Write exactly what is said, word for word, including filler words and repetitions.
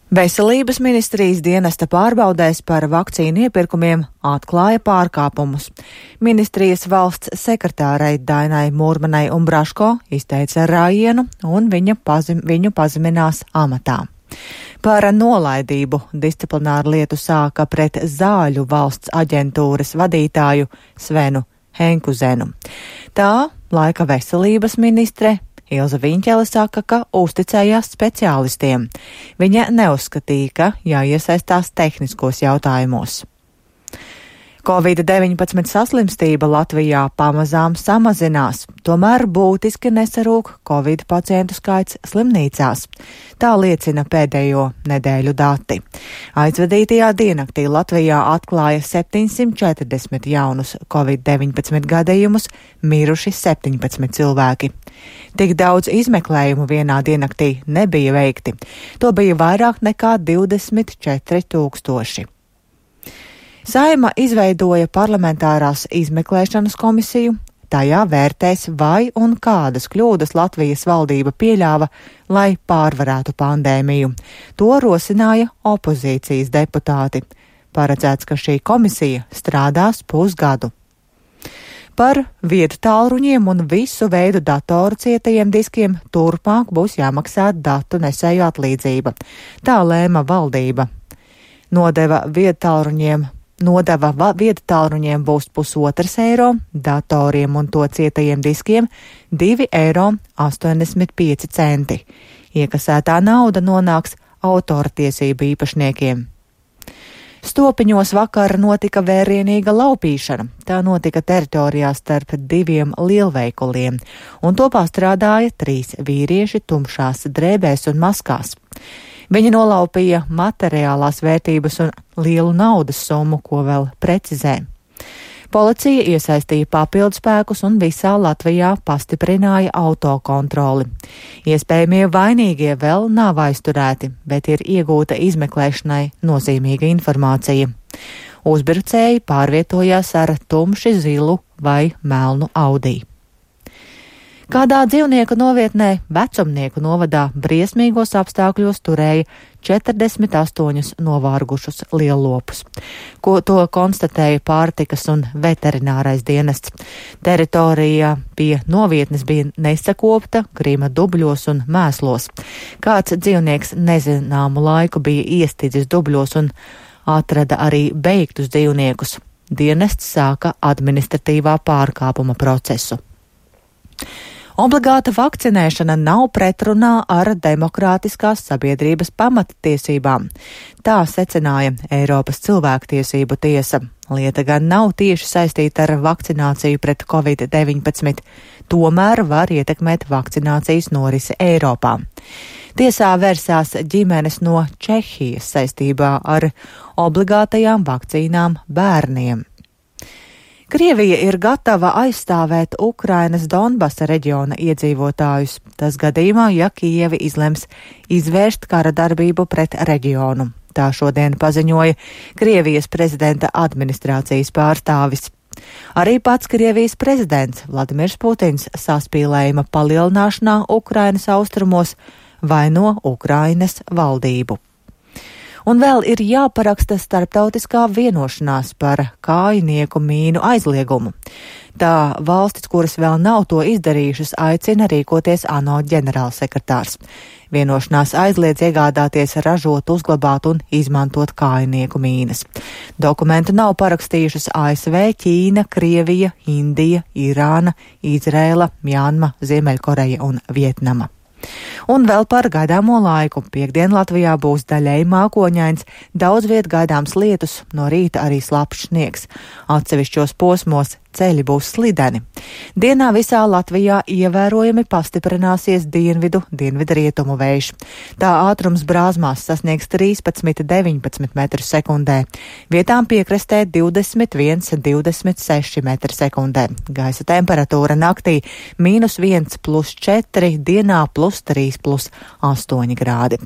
Veselības ministrijas dienesta pārbaudēs par vakcīnu iepirkumiem atklāja pārkāpumus. Ministrijas valsts sekretārei Dainai Mūrmanai Umbraško izteica rājienu un viņa pazim, viņu pazeminās amatā. Par nolaidību disciplināru lietu sāka pret Zāļu valsts aģentūras vadītāju Svenu Henkuzenu. Tā laika veselības ministre Ilze Viņķele saka, ka uzticējās speciālistiem. Viņa neuzskatīja, ka jāiesaistās tehniskos jautājumos. covid deviņpadsmit saslimstība Latvijā pamazām samazinās, tomēr būtiski nesarūk covid pacientu skaits slimnīcās. Tā liecina pēdējo nedēļu dati. Aizvadītajā diennaktī Latvijā atklāja septiņsimt četrdesmit jaunus covid deviņpadsmit gadījumus, miruši septiņpadsmit cilvēki. Tik daudz izmeklējumu vienā diennaktī nebija veikti. To bija vairāk nekā divdesmit četri tūkstoši. Saeima izveidoja parlamentārās izmeklēšanas komisiju. Tajā vērtēs, vai un kādas kļūdas Latvijas valdība pieļāva, lai pārvarētu pandēmiju. To rosināja opozīcijas deputāti. Paredzēts, ka šī komisija strādās pusgadu. Par viedtālruņiem un visu veidu datoru cietajiem diskiem turpmāk būs jāmaksā datu nesēju atlīdzība. Tā lēma valdība. Nodeva viedtālruņiem Nodeva viedtālruņiem būs pusotrs eiro, datoriem un to cietajiem diskiem divi eiro astoņdesmit pieci centi. Iekasētā nauda nonāks autortiesību īpašniekiem. Stopiņos vakar notika vērienīga laupīšana. Tā notika teritorijā starp diviem lielveikaliem, un to pārstrādāja trīs vīrieši tumšās drēbēs un maskās. Viņi nolaupīja materiālās vērtības un lielu naudas summu, ko vēl precizē. Policija iesaistīja papildspēkus un visā Latvijā pastiprināja autokontroli. Iespējamie vainīgie vēl nav aizturēti, bet ir iegūta izmeklēšanai nozīmīga informācija. Uzbrucēji pārvietojās ar tumši zilu vai melnu Audi. Kādā dzīvnieku novietnē Vecumnieku novadā briesmīgos apstākļos turēja četrdesmit astoņus novārgušus liellopus, ko to konstatēja pārtikas un veterinārais dienests. Teritorija pie novietnes bija nesakopta, krīma dubļos un mēslos. Kāds dzīvnieks nezināmu laiku bija iestidzis dubļos un atrada arī beigtus dzīvniekus. Dienests sāka administratīvā pārkāpuma procesu. Obligāta vakcinēšana nav pretrunā ar demokrātiskās sabiedrības pamattiesībām. Tā secināja Eiropas cilvēktiesību tiesa. Lieta gan nav tieši saistīta ar vakcināciju pret covid deviņpadsmit, tomēr var ietekmēt vakcinācijas norisi Eiropā. Tiesā vērsās ģimenes no Čehijas saistībā ar obligātajām vakcīnām bērniem. Krievija ir gatava aizstāvēt Ukrainas Donbasa reģiona iedzīvotājus. Tas gadījumā, ja Kijeva izlems izvērst kara darbību pret reģionu. Tā šodien paziņoja Krievijas prezidenta administrācijas pārstāvis. Arī pats Krievijas prezidents Vladimirs Putins saspīlējuma palielināšanā Ukrainas austrumos vaino Ukrainas valdību. Un vēl ir jāparaksta starptautiskā vienošanās par kājnieku mīnu aizliegumu. Tā valstis, kuras vēl nav to izdarījušas, aicina rīkoties ANO ģenerālsekretārs. Vienošanās aizliedz iegādāties, ražot, uzglabāt un izmantot kājnieku mīnas. Dokumentu nav parakstījušas A S V, Ķīna, Krievija, Indija, Irāna, Izrēla, Mjanma, Ziemeļkoreja un Vietnama. Un vēl par gaidāmo laiku. Piektdien Latvijā būs daļēji mākoņains, daudz viet gaidāms lietus, no rīta arī slapjš sniegs. Atsevišķos posmos ceļi būs slideni. Dienā visā Latvijā ievērojami pastiprināsies dienvidu, dienvidrietumu vējš. Tā ātrums brāzmās sasniegs trīspadsmit līdz deviņpadsmit metrus sekundē. Vietām piekrastē divdesmit viens līdz divdesmit seši metri sekundē. Gaisa temperatūra naktī mīnus viens plus četri, dienā plus trīs plus astoņi grādi.